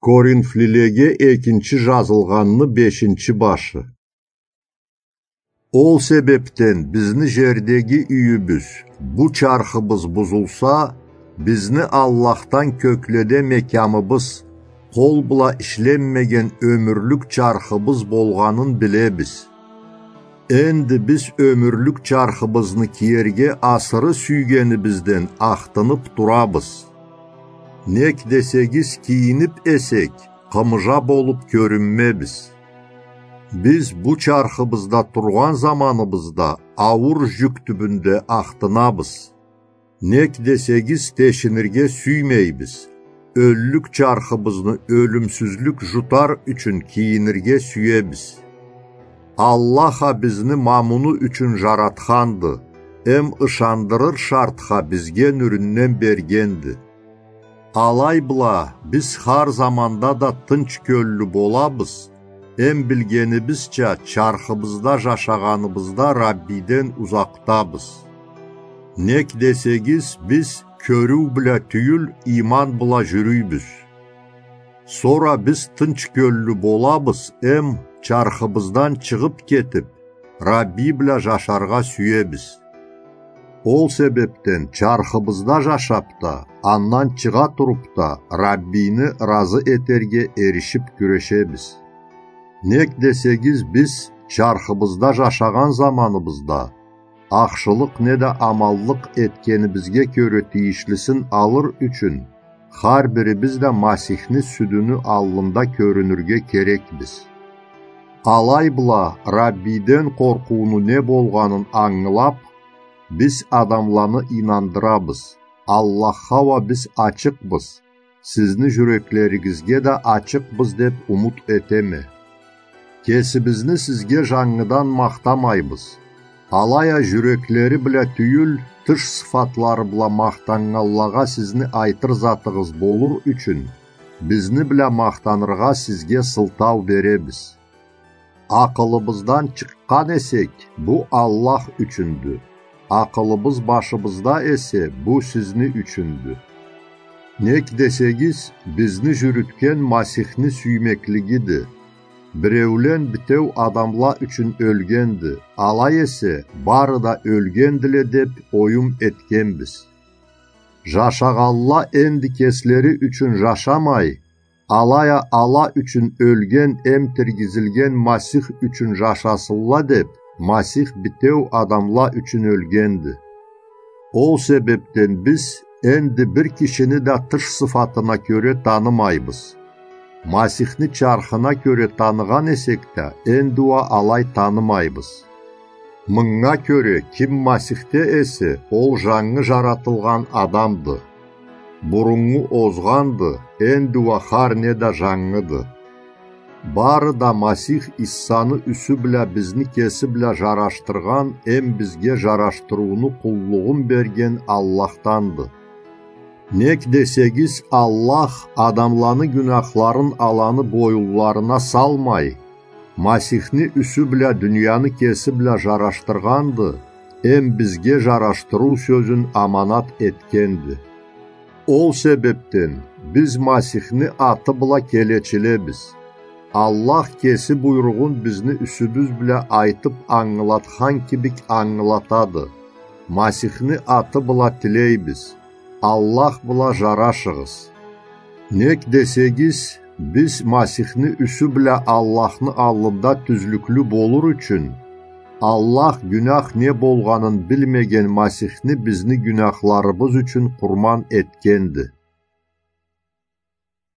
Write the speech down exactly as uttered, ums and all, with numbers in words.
Коринфлилеге экинчи жазылгъанны бешинчи башы. Ол себепден бизни жердеги юйюбюз, бу чархыбыз бузулса, бизни Аллахдан кёкледе мекямыбыз, къол бла ишленмеген ёмюрлюк чархыбыз болгъанын билебиз. Энди биз ёмюрлюк чархыбызны киерге асыры сюйгенибизден ахтынып турабыз. Нек десегиз, кийинип эсек, къымыжа болуп кёрюнмебиз. Биз бу чархыбызда тургъан заманыбызда ауур жюк тюбюнде ахтынабыз. Нек десегиз, тешинирге сюймейбиз. Ёллюк чархыбызны ёлюмсюзлюк жутар ючюн кийинирге сюебиз. Аллах а бизни ма муну ючюн жаратханды, эм ышандырыр шартха бизге нюрюнден бергенди. Алай бла биз хар заманда да тынч кёллю болабыз, эм билгенибизча, чархыбызда жашагъаныбызда Раббиден узакъдабыз. Нек десегиз, биз кёрюу бла тюйюл, иман бла жюрюйбюз. Сора биз тынч кёллю болабыз, эм чархыбыздан чыгъып кетип, Рабби бла жашаргъа сюебиз. Ол себепден чархыбызда жашап да, андан чыгъа туруп да, Раббини ыразы этерге эришип кюрешебиз. Нек десегиз, биз чархыбызда жашагъан заманыбызда, ахшылыкъ неда аманлыкъ этгенибизге кёре тийишлисин алыр ючюн, хар бирибиз да Масихни сюдюню аллында кёрюнюрге керекбиз. Алай бла Раббиден къоркъууну не болгъанын ангылап, биз адамланы ийнандырабыз. Аллахха уа биз ачыкъбыз, сизни жюреклеригизге да ачыкъбыз деп умут этеме. Кесибизни сизге жангыдан махтамайбыз. Алай а жюреклери бла тюйюл, тыш сыфатлары бла махтаннганлагъа сизни айтыр затыгъыз болур ючюн, бизни бла махтаныргъа сизге сылтау беребиз. Акъылыбыздан чыкъгъан эсек, бу Аллах ючюндю. Акъылыбыз башыбызда эсе, бу сизни ючюндю. Нек десегиз, бизни жюрютген Масихни сюймеклигиди. Биреулен битеу адамла ючюн ёлгенди, алай эсе, бары да ёлгендиле деп оюм этгенбиз. Жашагъанла энди кеслери ючюн жашамай, алай а ала ючюн ёлген эм тиргизилген Масих ючюн жашасынла деп, Масих битеу адамла ючюн ёлгенди. Ол себепден биз энди бир кишини да тыш сыфатына кёре танымайбыз. Масихни чархына кёре таныгъан эсек да, энди уа алай танымайбыз. Мынга кёре, ким Масихде эсе, ол жангы жаратылгъан адамды. Буруннгу озгъанды, энди уа хар не да жангыды. Бары да Масих Иссаны юсю бла бизни кеси бла жарашдыргъан эм бизге жарашдырыуну къуллугъун берген Аллахданды. Нек десегиз, Аллах адамланы гюнахларын аланы боюнларына салмай, Масихни юсю бла дунияны кеси бла жарашдыргъанды, эм бизге жарашдырыу сёзюн аманат этгенди. Ол себепден биз Масихни аты бла келечилебиз. Аллах кеси буйругъун бизни юсюбюз бла айтып ангылатхан кибик ангылатады. Масихни аты бла тилейбиз. Аллах бла жарашыгъыз. Нек десегиз, биз Масихни юсю бла Аллахны аллында тюзлюклю болур ючюн, Аллах гюнах не болгъанын билмеген Масихни бизни гюнахларыбыз ючюн къурман этгенди.